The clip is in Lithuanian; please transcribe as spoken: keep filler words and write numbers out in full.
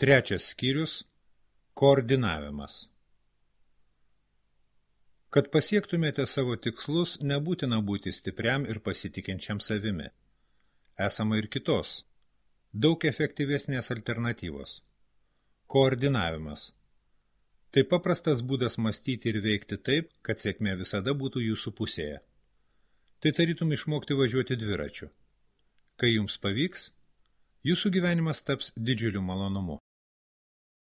Trečias skyrius – koordinavimas. Kad pasiektumėte savo tikslus, nebūtina būti stipriam ir pasitikinčiam savimi. Esama ir kitos, daug efektyvesnės alternatyvos. Koordinavimas. Tai paprastas būdas mąstyti ir veikti taip, kad sėkmė visada būtų jūsų pusėje. Tai tarytum išmokti važiuoti dviračiu. Kai jums pavyks, jūsų gyvenimas taps didžiuliu malonumu.